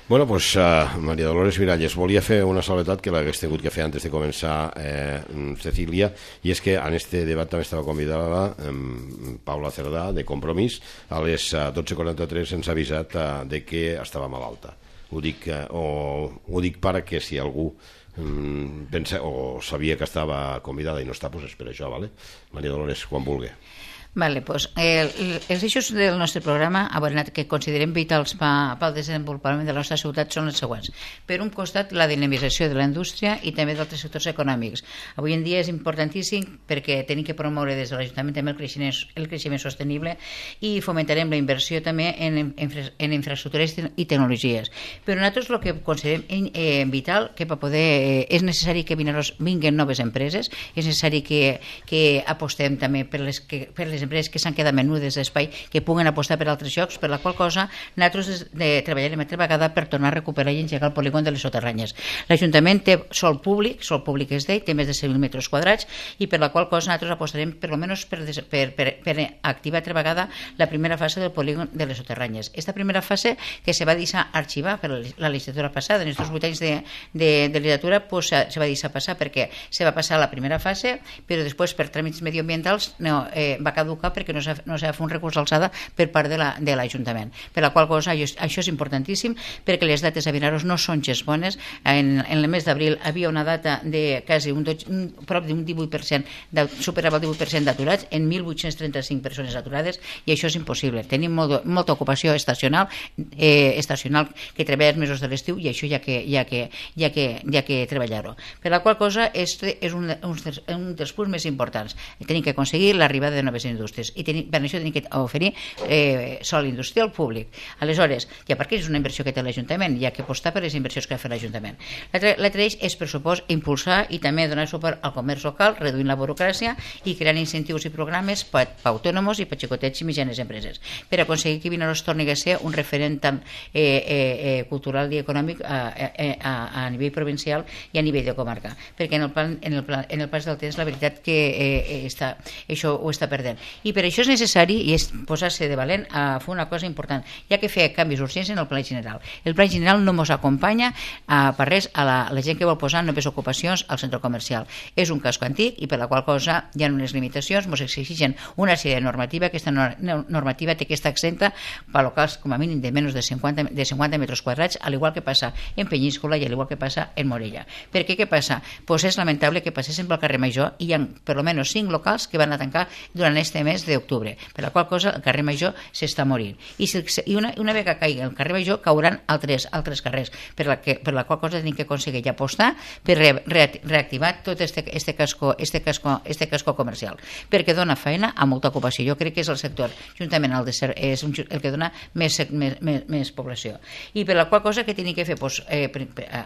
Bueno, pues uh, Maria Dolores Miralles, volia fer una salvetat que l'hagués tingut que fer antes de començar eh, Cecília, i és que en este debat també estava convidada eh, Paula Cerdà, de Compromís. A les uh, dotze quaranta-tres ens ha avisat uh, de que estava malalta. Ho dic, uh, o, ho dic perquè si algú pensa o sabia que estava convidada i no està, doncs és per això, vale? Maria Dolores, quan vulgui. Vale, pues, eh, els eixos del nostre programa que considerem vitals pel desenvolupament de la nostra ciutat són els següents. Per un costat, la dinamització de la indústria i també d'altres sectors econòmics. Avui en dia és importantíssim perquè tenim que promoure des de l'Ajuntament també el creixement, el creixement sostenible i fomentarem la inversió també en, en, en infraestructures i tecnologies. Però nosaltres el que considerem eh, vital, que per poder, eh, és necessari que Vinaròs vinguin noves empreses, és necessari que, que apostem també per les, que, per les les empreses que s'han quedat menudes d'espai que puguen apostar per altres llocs, per la qual cosa nosaltres de, treballarem altra vegada per tornar a recuperar i engegar el polígon de les soterranyes. L'Ajuntament té sol públic, sol públic és d'ell, té més de cent mil metres quadrats i per la qual cosa nosaltres apostarem per almenys per, per, per, per activar altra vegada la primera fase del polígon de les soterranyes. Esta primera fase que se va deixar arxivar per la legislatura passada, en aquests vuit anys de, de, de legislatura pues, se va deixar passar perquè se va passar la primera fase, però després per tràmits mediambientals no, eh, va caducar perquè no s'ha no fet un recurs d'alçada per part de l'Ajuntament. La, per la qual cosa això, això és importantíssim perquè les dates a Vinaros no són gens bones. En, en el mes d'abril havia una data de quasi un, un, prop d'un divuit per cent, superava el divuit per cent d'aturats, en mil vuit-cents trenta-cinc persones aturades, i això és impossible. Tenim molt, molta ocupació estacional, eh, estacional que treballa els mesos de l'estiu i això ja que, ja que, ja que, ja que treballar-ho. Per la qual cosa este és un, un, un dels punts més importants. Tenim que aconseguir l'arribada de noves indústries i tenim, per això tenim que oferir eh, sol industrial públic. Aleshores, ja perquè és una inversió que té l'Ajuntament, hi ha que apostar per les inversions que ha fet l'Ajuntament. L'altre eix és, per supost, impulsar i també donar suport al comerç local, reduint la burocràcia i creant incentius i programes per a autònoms i per a xicotets i mitjanes empreses, per aconseguir que Vinaros torni a ser un referent tant eh, eh, cultural i econòmic a, a, a, a nivell provincial i a nivell de comarca, perquè en el, plan, en el, plan, en el pas del temps la veritat que eh, està, això ho està perdent. I per això és necessari i és posar-se de valent a fer una cosa important, ja que fer canvis urgents en el pla general. El pla general no ens acompanya a, per res a la, a la gent que vol posar noves ocupacions al centre comercial. És un casco antic i per la qual cosa hi ha unes limitacions, ens exigen una sèrie de normativa. Aquesta normativa té que estar exempta per locals com a mínim de menys de cinquanta, de cinquanta metres quadrats, al igual que passa en Penyíscola i al igual que passa en Morella. Per què? Què passa? Pues és lamentable que passessin pel carrer Major i hi ha per almenys cinc locals que van a tancar durant este mes d'octubre, per la qual cosa el carrer Major s'està morint. I, si, i una, una vegada que caigui el carrer Major cauran altres, altres carrers, per la, que, per la qual cosa tenim que aconseguir i apostar per re, re, reactivar tot este, este, casco, este, casco, este casco comercial, perquè dona feina a molta ocupació. Jo crec que és el sector, juntament al de ser, és un, el que dona més, més, més, més població. I per la qual cosa que tenim que fer pues, eh,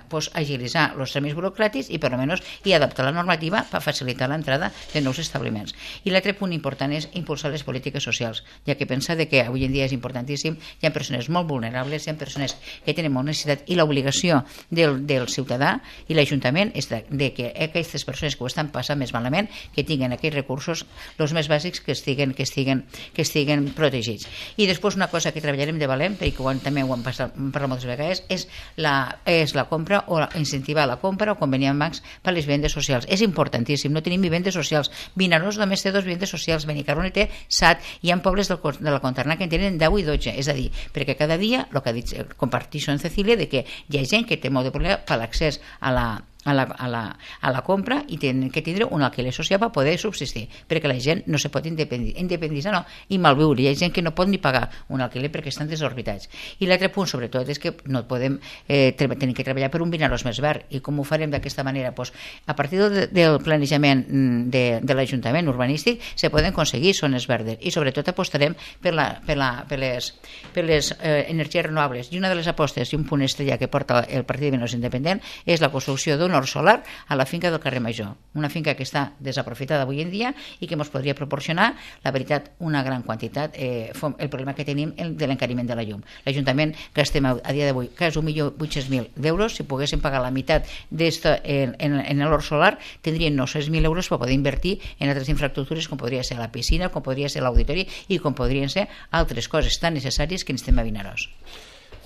pues, agilitzar els tràmits burocràtics i per almenys i adaptar la normativa per facilitar l'entrada de nous establiments. I l'altre punt important és impulsar les polítiques socials, ja que pensa de que avui en dia és importantíssim, hi ha persones molt vulnerables, hi ha persones que tenen molt necessitat i l'obligació del, del ciutadà i l'Ajuntament és de, de que aquestes persones que ho estan passant més malament que tinguin aquells recursos, els més bàsics que estiguen, que estiguen, que estiguen protegits. I després una cosa que treballarem de valent, perquè ho han, també ho hem parlat moltes vegades, és la, és la compra o la, incentivar la compra o conveniar amb bancs per les vivendes socials. És importantíssim, no tenim vivendes socials. Vinaròs només té dos vivendes socials, Benicarló té set, hi ha pobles del, de la Conterna que en tenen deu i dotze, és a dir, perquè cada dia, el que ha dit, comparteixo en Cecília, de que hi ha gent que té molt de problema per l'accés a la A la, a, la, a la compra i tenen que tindre un alquiler social per poder subsistir, perquè la gent no se pot independitzar, independitzar no, i malviure. Hi ha gent que no pot ni pagar un alquiler perquè estan desorbitats. I l'altre punt, sobretot, és que no podem eh, tenir que treballar per un Vinaròs més verd. I com ho farem d'aquesta manera? Pues, a partir del, del planejament de, de l'Ajuntament urbanístic se poden aconseguir zones verdes i sobretot apostarem per, la, per, la, per les, per les eh, energies renovables. I una de les apostes i un punt estrella que porta el Partit de Vinaròs Independent és la construcció d'un hort solar a la finca del carrer Major, una finca que està desaprofitada avui en dia i que ens podria proporcionar, la veritat, una gran quantitat, eh, el problema que tenim de l'encariment de la llum. L'Ajuntament gastem a dia d'avui quasi un milió vuit-cents mil d'euros. Si poguéssim pagar la meitat d'esta en, en, en l'hort solar, tindrien nou-cents mil euros per poder invertir en altres infraestructures com podria ser la piscina, com podria ser l'auditori i com podrien ser altres coses tan necessàries que necessitem a Vinaròs.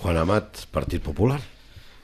Juan Amat, Partit Popular.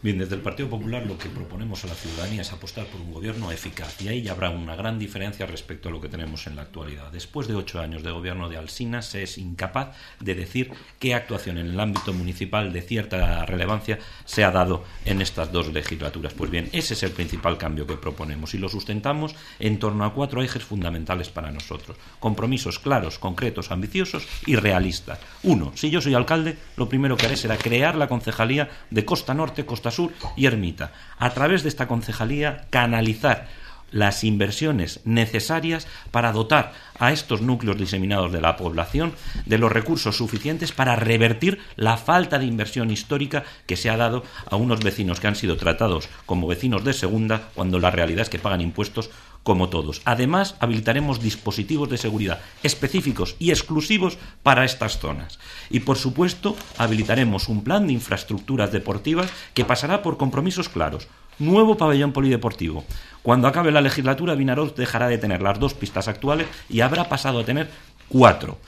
Bien, desde el Partido Popular lo que proponemos a la ciudadanía es apostar por un gobierno eficaz y ahí ya habrá una gran diferencia respecto a lo que tenemos en la actualidad. Después de ocho años de gobierno de Alsina se es incapaz de decir qué actuación en el ámbito municipal de cierta relevancia se ha dado en estas dos legislaturas. Pues bien, ese es el principal cambio que proponemos y lo sustentamos en torno a cuatro ejes fundamentales para nosotros. Compromisos claros, concretos, ambiciosos y realistas. Uno, si yo soy alcalde, lo primero que haré será crear la concejalía de Costa Norte, Costa Sur y Ermita. A través de esta concejalía canalizar las inversiones necesarias para dotar a estos núcleos diseminados de la población de los recursos suficientes para revertir la falta de inversión histórica que se ha dado a unos vecinos que han sido tratados como vecinos de segunda cuando la realidad es que pagan impuestos como todos. Además, habilitaremos dispositivos de seguridad específicos y exclusivos para estas zonas. Y, por supuesto, habilitaremos un plan de infraestructuras deportivas que pasará por compromisos claros. Nuevo pabellón polideportivo. Cuando acabe la legislatura, Vinaroz dejará de tener las dos pistas actuales y habrá pasado a tener cuatro.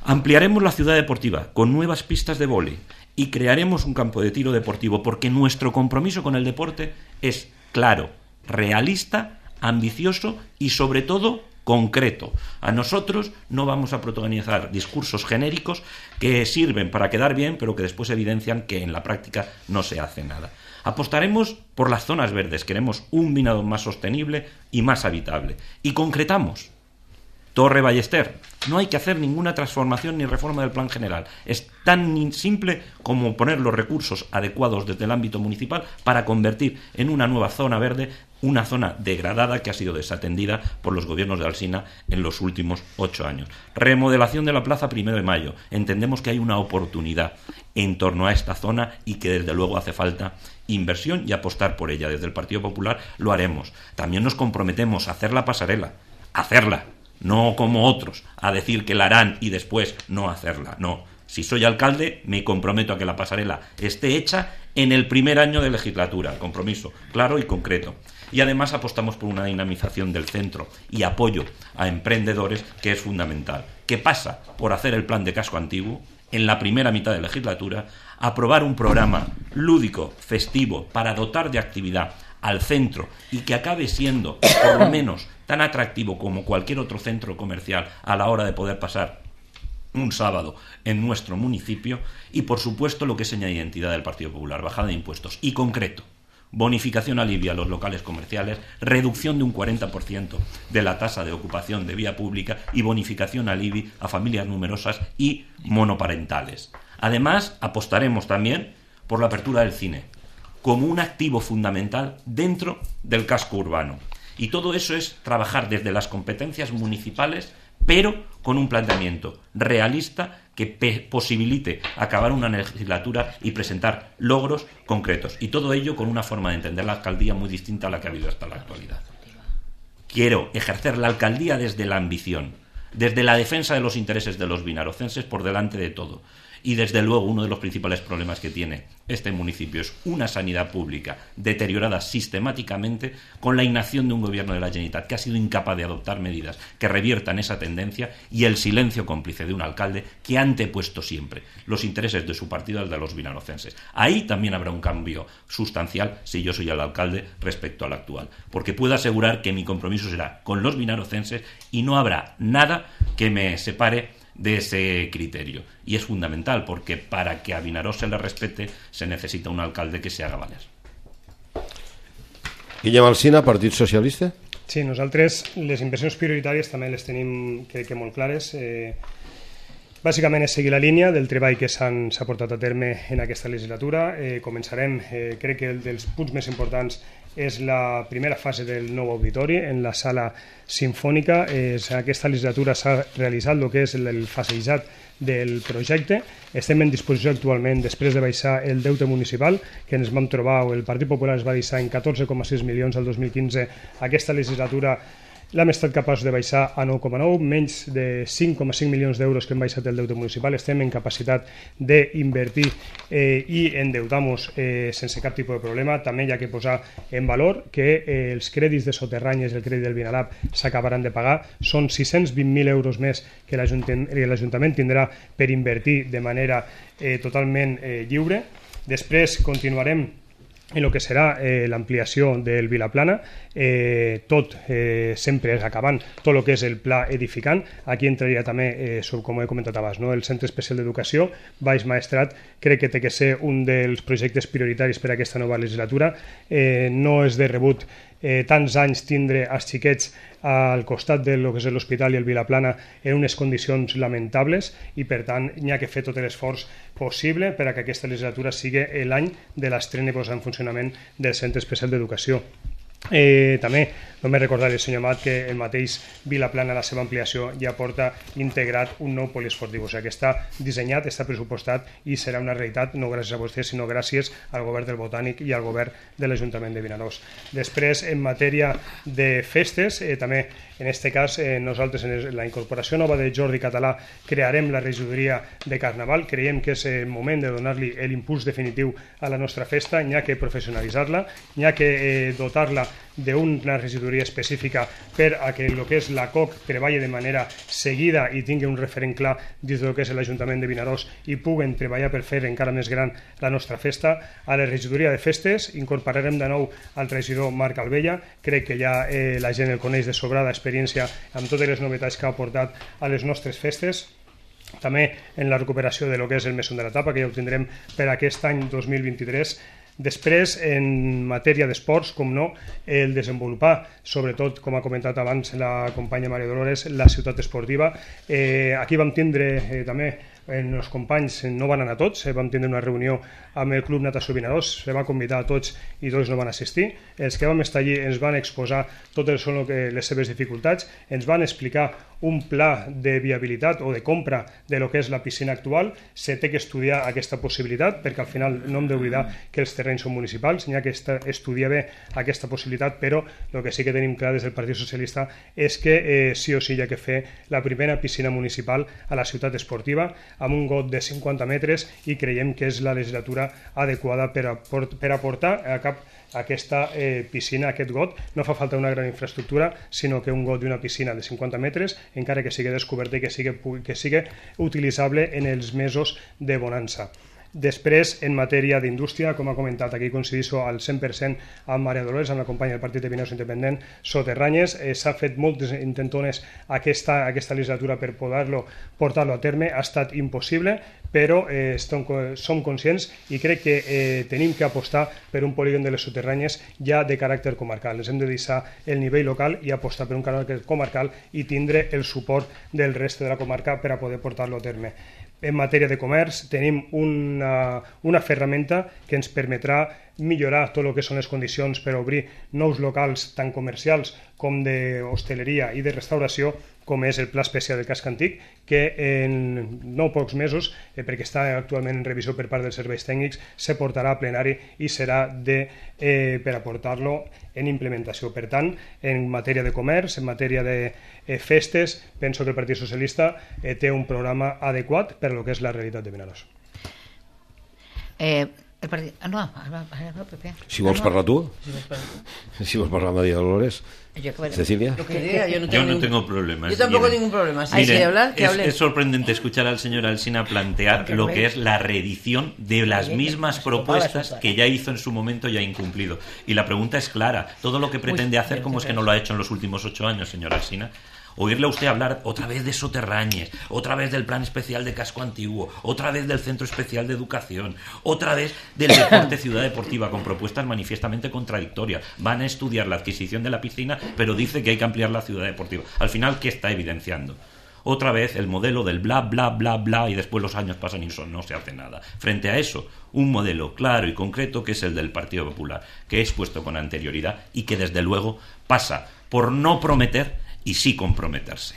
Ampliaremos la ciudad deportiva con nuevas pistas de vóley y crearemos un campo de tiro deportivo, porque nuestro compromiso con el deporte es claro, realista, ambicioso y, sobre todo, concreto. A nosotros no vamos a protagonizar discursos genéricos que sirven para quedar bien, pero que después evidencian que en la práctica no se hace nada. Apostaremos por las zonas verdes. Queremos un Vinalopó más sostenible y más habitable. Y concretamos. Torre Ballester. No hay que hacer ninguna transformación ni reforma del plan general. Es tan simple como poner los recursos adecuados desde el ámbito municipal para convertir en una nueva zona verde una zona degradada que ha sido desatendida por los gobiernos de Alsina en los últimos ocho años. Remodelación de la Plaza Primero de Mayo. Entendemos que hay una oportunidad en torno a esta zona y que desde luego hace falta inversión y apostar por ella. Desde el Partido Popular lo haremos. También nos comprometemos a hacer la pasarela. Hacerla. No como otros, a decir que la harán y después no hacerla. No. Si soy alcalde, me comprometo a que la pasarela esté hecha en el primer año de legislatura. Compromiso claro y concreto. Y además apostamos por una dinamización del centro y apoyo a emprendedores, que es fundamental. Que pasa por hacer el plan de casco antiguo en la primera mitad de legislatura, aprobar un programa lúdico, festivo, para dotar de actividad al centro y que acabe siendo, por lo menos, tan atractivo como cualquier otro centro comercial a la hora de poder pasar un sábado en nuestro municipio. Y, por supuesto, lo que es seña de identidad del Partido Popular, bajada de impuestos y concreto. Bonificación alivia a los locales comerciales, reducción de un cuarenta por ciento de la tasa de ocupación de vía pública y bonificación alivia a familias numerosas y monoparentales. Además, apostaremos también por la apertura del cine como un activo fundamental dentro del casco urbano. Y todo eso es trabajar desde las competencias municipales, pero con un planteamiento realista que posibilite acabar una legislatura y presentar logros concretos. Y todo ello con una forma de entender la alcaldía muy distinta a la que ha habido hasta la actualidad. Quiero ejercer la alcaldía desde la ambición, desde la defensa de los intereses de los vinarocenses por delante de todo. Y desde luego uno de los principales problemas que tiene este municipio es una sanidad pública deteriorada sistemáticamente, con la inacción de un gobierno de la Generalitat que ha sido incapaz de adoptar medidas que reviertan esa tendencia, y el silencio cómplice de un alcalde que ha antepuesto siempre los intereses de su partido al de los vinarocenses. Ahí también habrá un cambio sustancial si yo soy el alcalde respecto al actual, porque puedo asegurar que mi compromiso será con los vinarocenses y no habrá nada que me separe de ese criterio. Y es fundamental, porque para que a Vinaròs se le respete se necesita un alcalde que se haga valer. Guillem Alsina, Partit Socialista. Sí, nosaltres les inversions prioritàries també les tenim, crec que molt clares. Eh, bàsicament és seguir la línia del treball que s'ha portat a terme en aquesta legislatura. Eh, començarem, eh, crec que el dels punts més importants és la primera fase del nou auditori en la sala sinfònica. Eh, aquesta legislatura s'ha realitzat el que és el fasejat del projecte. Estem en disposició actualment, després de baixar el deute municipal, que ens vam trobar, o el Partit Popular es va deixar en catorze coma sis milions el dos mil quinze, aquesta legislatura l'hem estat capaç de baixar a nou coma nou, menys de cinc coma cinc milions d'euros que hem baixat el deute municipal. Estem en capacitat d'invertir eh, i endeutar-nos eh, sense cap tipus de problema. També hi ha que posar en valor que eh, els crèdits de soterranyes i el crèdit del Vinalab s'acabaran de pagar. Són sis-cents vint mil euros més que l'Ajuntament tindrà per invertir de manera eh, totalment eh, lliure. Després continuarem en el que serà eh, l'ampliació del Vilaplana, eh, tot eh, sempre acabant tot el que és el pla edificant. Aquí entraria també, eh, sobre, com he comentat abans, no? El Centre Especial d'Educació, Baix Maestrat, crec que té que ser un dels projectes prioritaris per a aquesta nova legislatura. Eh, no és de rebut eh, tants anys tindre els xiquets al costat de lo que és l'hospital i el Vilaplana en unes condicions lamentables, i per tant n'hi ha que fer tot l'esforç possible per a que aquesta legislatura sigui l'any de l'estrena i posar en funcionament del Centre Especial d'Educació. Eh, també només recordar al senyor Amat que el mateix Vilaplana, la seva ampliació, ja porta integrat un nou poliesportiu, o sigui que està dissenyat, està pressupostat i serà una realitat no gràcies a vostès, sinó gràcies al govern del Botànic i al govern de l'Ajuntament de Vinaròs. Després, en matèria de festes, eh, també en aquest cas eh, nosaltres en la incorporació nova de Jordi Català crearem la regidoria de Carnaval. Creiem que és el moment de donar-li l'impuls definitiu a la nostra festa, n'hi ha que professionalitzar-la, n'hi ha que eh, dotar-la d'una regidoria específica per a que el que és la C O C treballi de manera seguida i tingui un referent clar dins del que és l'Ajuntament de Vinaròs i puguen treballar per fer encara més gran la nostra festa. A la regidoria de festes incorporarem de nou al regidor Marc Albella. Crec que ja eh, la gent el coneix de sobrada experiència amb totes les novetats que ha aportat a les nostres festes. També en la recuperació de lo que és el Mesón de la Tapa, que ja ho tindrem per aquest any dos mil vint-i-tres. Després, en matèria d'esports, com no, el desenvolupar, sobretot, com ha comentat abans la companya Maria Dolores, la ciutat esportiva. Eh, aquí vam tindre eh, també en els companys, no van anar tots, eh, vam tindre una reunió amb el Club Natació Vinaròs, se va convidar a tots i tots no van assistir. Els que vam estar allí ens van exposar totes les seves dificultats, ens van explicar un pla de viabilitat o de compra de lo que és la piscina actual. Se té que estudiar aquesta possibilitat, perquè al final no hem d'oblidar que els terrenys són municipals, n'hi ha que estudiar bé aquesta possibilitat, però el que sí que tenim clar des del Partit Socialista és que eh, sí o sí hi ha que fer la primera piscina municipal a la ciutat esportiva, amb un got de cinquanta metres, i creiem que és la legislatura adequada per, a, per aportar a cap aquesta eh, piscina, aquest got. No fa falta una gran infraestructura, sinó que un got d'una piscina de cinquanta metres, encara que sigui descoberta i que sigui, que sigui utilitzable en els mesos de bonança. Després, en matèria d'indústria, com ha comentat, aquí coincideixo al cent per cent amb Maria Dolores, amb la companya del Partit de Vinaròs Independent, Soterranyes. Eh, S'ha fet moltes intentones aquesta, aquesta legislatura per poder-lo portar-lo a terme. Ha estat impossible, però eh, estem, som conscients i crec que eh, tenim que apostar per un polígon de les Soterranyes ja de caràcter comarcal. Ens hem de deixar el nivell local i apostar per un caràcter comarcal i tindre el suport del reste de la comarca per a poder portar-lo a terme. En matèria de comerç tenim una, una ferramenta que ens permetrà millorar tot el que són les condicions per obrir nous locals tant comercials com d'hostaleria i de restauració, com és el Pla Especial del Casc Antic, que en no pocs mesos, eh, perquè està actualment en revisió per part dels serveis tècnics, se portarà a plenari i serà de, eh, per aportar-lo en implementació. Per tant, en matèria de comerç, en matèria de eh, festes, penso que el Partit Socialista eh, té un programa adequat per a lo que és la realitat de Vinaròs. Eh, el partit... Ah, no, ara, ara, Pepe. Si vols parlar tu, Si vols parlar tu. si vols parlar María Dolores, Cecilia. Lo que diga, yo no tengo, Yo no ningún... tengo problemas. Yo tampoco Miren, tengo ningún problema. Si miren, quiere hablar, que es, hable. es sorprendente escuchar al señor Alsina plantear lo que es la reedición de las mismas propuestas que ya hizo en su momento y ha incumplido. Y la pregunta es clara. Todo lo que pretende hacer, ¿cómo es que no lo ha hecho en los últimos ocho años, señor Alsina? Oírle a usted hablar otra vez de Soterranyes, otra vez del Plan Especial de Casco Antiguo, otra vez del Centro Especial de Educación, otra vez del Deporte Ciudad Deportiva, con propuestas manifiestamente contradictorias. Van a estudiar la adquisición de la piscina, pero dice que hay que ampliar la Ciudad Deportiva. Al final, ¿qué está evidenciando? Otra vez el modelo del bla, bla, bla, bla, y después los años pasan y no se hace nada. Frente a eso, un modelo claro y concreto que es el del Partido Popular, que he expuesto con anterioridad y que desde luego pasa por no prometer i sí comprometerse.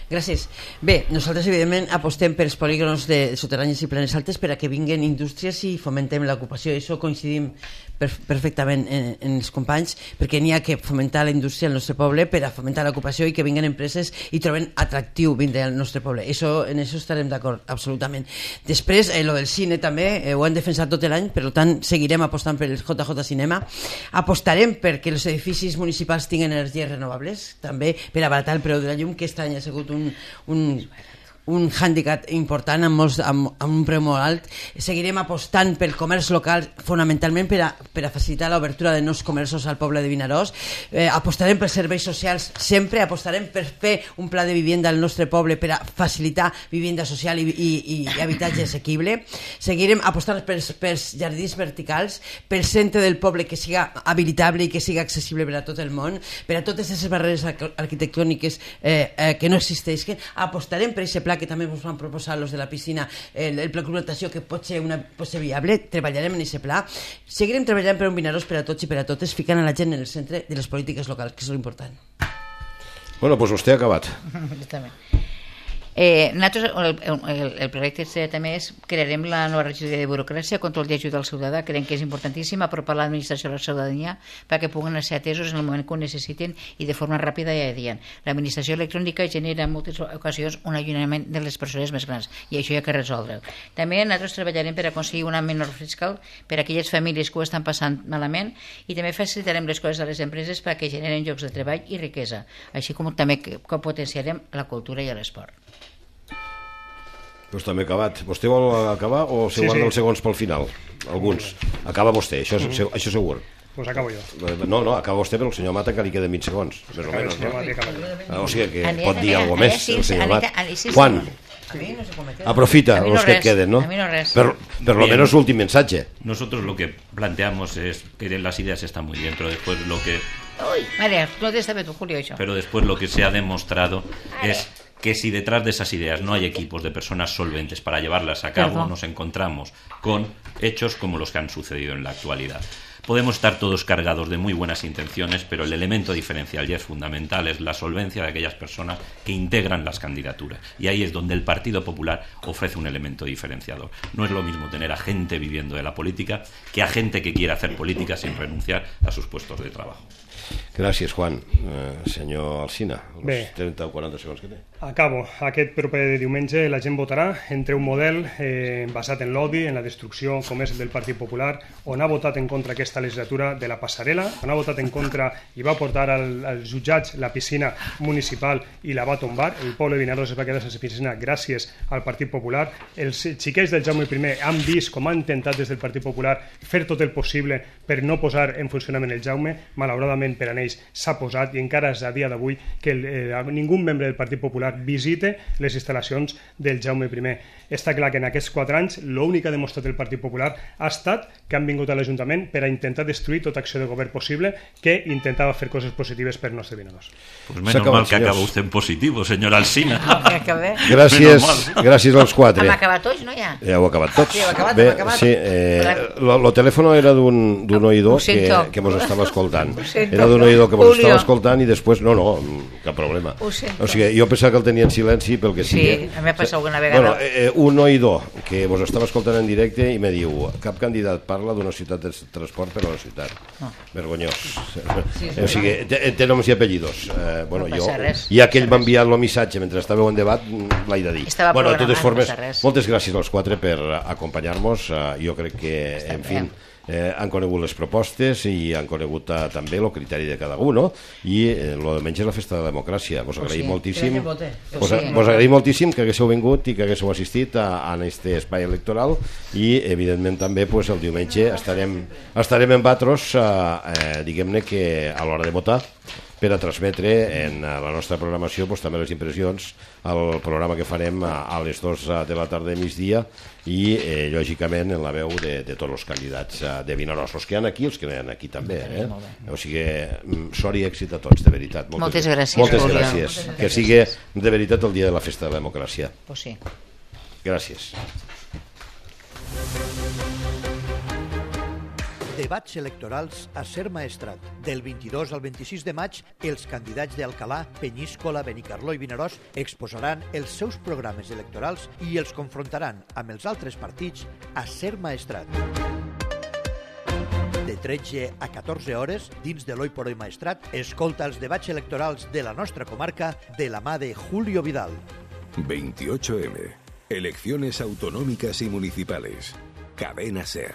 Gràcies. Bé, nosaltres evidentment apostem per els polígons de Soterranyes i Planes Altes per a que vinguin indústries i fomentem l'ocupació. Això coincidim perfectament en, en els companys, perquè n'hi ha que fomentar la indústria al nostre poble per a fomentar l'ocupació i que vinguin empreses i troben atractiu vindre al nostre poble. Això, en això estarem d'acord, absolutament. Després, eh, lo del cine també, eh, ho hem defensat tot l'any, per tant, seguirem apostant per el J J Cinema. Apostarem perquè els edificis municipals tinguin energies renovables, també per abaratar el preu de la llum, que aquest any ha sigut un, un, un hàndicap important amb, molts, amb, amb un preu molt alt. Seguirem apostant pel comerç local fonamentalment per a, per a facilitar l'obertura de nous comerços al poble de Vinaròs. Eh, apostarem pels serveis socials sempre, apostarem per fer un pla de vivienda al nostre poble per a facilitar vivienda social i, i, i habitatge assequible. Seguirem apostant pels, pels jardins verticals, pel centre del poble que siga habilitable i que siga accessible per a tot el món, per a totes aquestes barreres arquitectòniques eh, eh, que no existeixen. Apostarem per aquest pla Pla, que també ens van proposar los de la piscina, el, el pla col·laboració, que pot ser, una, pot ser viable, treballarem en aquest pla. Seguirem treballant per un Vinaròs per a tots i per a totes, ficant a la gent en el centre de les polítiques locals, que és l'important. Bueno, doncs vostè ha acabat. Està bé. Eh, nosaltres, el, el, el projecte també és crearem la nova regidoria de burocràcia, control i ajuda al ciutadà. Creiem que és importantíssim apropar l'administració a la ciutadania perquè puguen ser atesos en el moment que ho necessiten i de forma ràpida i adient. L'administració electrònica genera en moltes ocasions un allunyament de les persones més grans i això hi ha que resoldre. També nosaltres treballarem per aconseguir una menor fiscal per a aquelles famílies que ho estan passant malament i també facilitarem les coses a les empreses perquè generen llocs de treball i riquesa, així com també que potenciarem la cultura i l'esport. Doncs també acabat. Vostè vol acabar o se Sí, guarda sí. els segons pel final? Alguns. Acaba vostè, això, és, això segur. Pues acabo jo. No, no, acaba vostè, però el senyor Mata que li queden vint segons, més o Acabo, menys. senyor No? Mata, acabo. O sigui que Anita, pot dir Anita, alguna més, Anita, el senyor Anita, Mata. Anita, sí, sí, Juan, A mí no sé com me queda. aprofita A mi no els que et res, queden, no? a mi no res. Per, per lo Bien. menos últim mensaje. Nosotros lo que planteamos es que las ideas están muy bien, pero después lo que, Uy, María, no te está tú, Julio, eso. pero después lo que se ha demostrado es que si detrás de esas ideas no hay equipos de personas solventes para llevarlas a cabo, Perdón. nos encontramos con hechos como los que han sucedido en la actualidad. Podemos estar todos cargados de muy buenas intenciones, pero el elemento diferencial ya es fundamental, es la solvencia de aquellas personas que integran las candidaturas. Y ahí es donde el Partido Popular ofrece un elemento diferenciador. No es lo mismo tener a gente viviendo de la política que a gente que quiere hacer política sin renunciar a sus puestos de trabajo. Gràcies, Juan. Eh, senyor Alsina, els Bé. trenta o quaranta segons que té. Acabo. Aquest proper diumenge la gent votarà entre un model eh, basat en l'odi, en la destrucció, com és el del Partit Popular, on ha votat en contra aquesta legislatura de la passarel·la, on ha votat en contra i va portar al, als jutjats la piscina municipal i la va tombar. El poble de Vinaròs es va quedar sense piscina gràcies al Partit Popular. Els xiquets del Jaume I han vist com han intentat des del Partit Popular fer tot el possible per no posar en funcionament el Jaume. Malauradament per a ells s'ha posat i encara és a dia d'avui que el, eh, ningú membre del Partit Popular visite les instal·lacions del Jaume I. Està clar que en aquests quatre anys l'únic que ha demostrat el Partit Popular ha estat que han vingut a l'Ajuntament per a intentar destruir tota acció de govern possible que intentava fer coses positives per nostre Vinaròs. Pues menos acabat, mal que senyors. acaba usted en positivo, señor Alsina. Que acabé. Gràcies, Menos gràcies als quatre. Hem acabat tots, no, ja? Ja ho he acabat tots. Sí, hem acabat, Bé, hem acabat. sí, eh, lo, lo telèfon era d'un d'un oïdor Ho sento. que, que mos estava escoltant. Ho sento. Era d'un oïdor que mos Julio. estava escoltant i després, no, no, cap problema. Ho sento. O sigui, jo pensava que el tenia en silenci pel que Sí, sigui. a mi m'ha passat alguna vegada. Bueno, eh, un oïdor que vos estava escoltant en directe i me diu, cap candidat parla d'una ciutat de transport per a la ciutat. Ah. Vergonyós. Sí, és O sigui, té, té noms i apellidos. Eh, bueno, No jo, passa res, i aquell no m'ha passa enviat el missatge mentre estàveu en debat, l'he de dir. Estava Bueno, de totes programat, formes, no passa res. moltes gràcies als quatre per acompanyar-nos. Uh, jo crec que, Està en bé. fi, eh, han conegut les propostes i han conegut uh, també el criteri de cada un, no? I eh, lo de menys és la festa de la democràcia. Vos agraïm sí. moltíssim. Que vote. Vos, Sí. vos agraïm moltíssim que haguéssiu vingut i que haguéssiu assistit a, a aquest espai electoral i, evidentment, també pues, el diumenge estarem, estarem en Batros, uh, eh, diguem-ne que a l'hora de votar, per a transmetre en la nostra programació pues, també les impressions al programa que farem a, a les dues de la tarda de migdia i, eh, lògicament, en la veu de, de tots els candidats eh, de Vinaròs, els que hi ha aquí, els que no hi ha aquí també. Eh? O sigui, mm, sort i èxit a tots, de veritat. Moltes gràcies, Moltes Julio. gràcies. Moltes Que gràcies. sigui de veritat el dia de la festa de la democràcia. Pues sí. Gràcies. Debats electorals a Ser Maestrat. Del vint-i-dos al vint-i-sis de maig, els candidats d'Alcalà, Penyíscola, Benicarló i Vinaròs exposaran els seus programes electorals i els confrontaran amb els altres partits a Ser Maestrat. De tretze a catorze hores, dins de l'Oi por Hoy Maestrat, escolta els debats electorals de la nostra comarca de la mà de Julio Vidal. veintiocho eme. Elecciones autonómicas y municipales. Cadena Ser.